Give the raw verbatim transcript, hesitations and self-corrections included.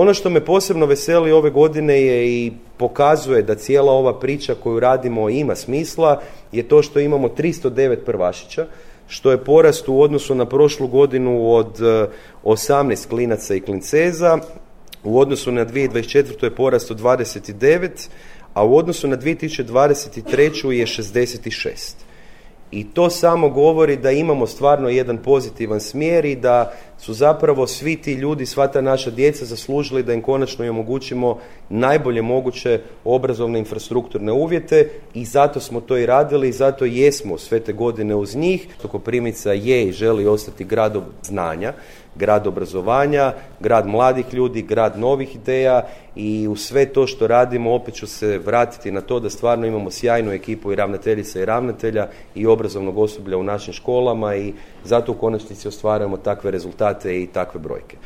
Ono što me posebno veseli ove godine je i pokazuje da cijela ova priča koju radimo ima smisla, je to što imamo tristo devet prvašića, što je porast u odnosu na prošlu godinu od osamnaest klinaca i klinceza, u odnosu na dvije tisuće dvadeset četvrtu je porast od dvadeset devet, a u odnosu na dvije tisuće dvadeset treću je šezdeset šest. I to samo govori da imamo stvarno jedan pozitivan smjer i da su zapravo svi ti ljudi, sva ta naša djeca zaslužili da im konačno i omogućimo najbolje moguće obrazovne infrastrukturne uvjete i zato smo to i radili i zato jesmo sve te godine uz njih. Koprivnica je i želi ostati grad znanja, grad obrazovanja, grad mladih ljudi, grad novih ideja i u sve to što radimo opet ću se vratiti na to da stvarno imamo sjajnu ekipu i ravnateljica i ravnatelja i obrazovnog osoblja u našim školama i zato u konačnici ostvarujemo takve rezultate i takve brojke.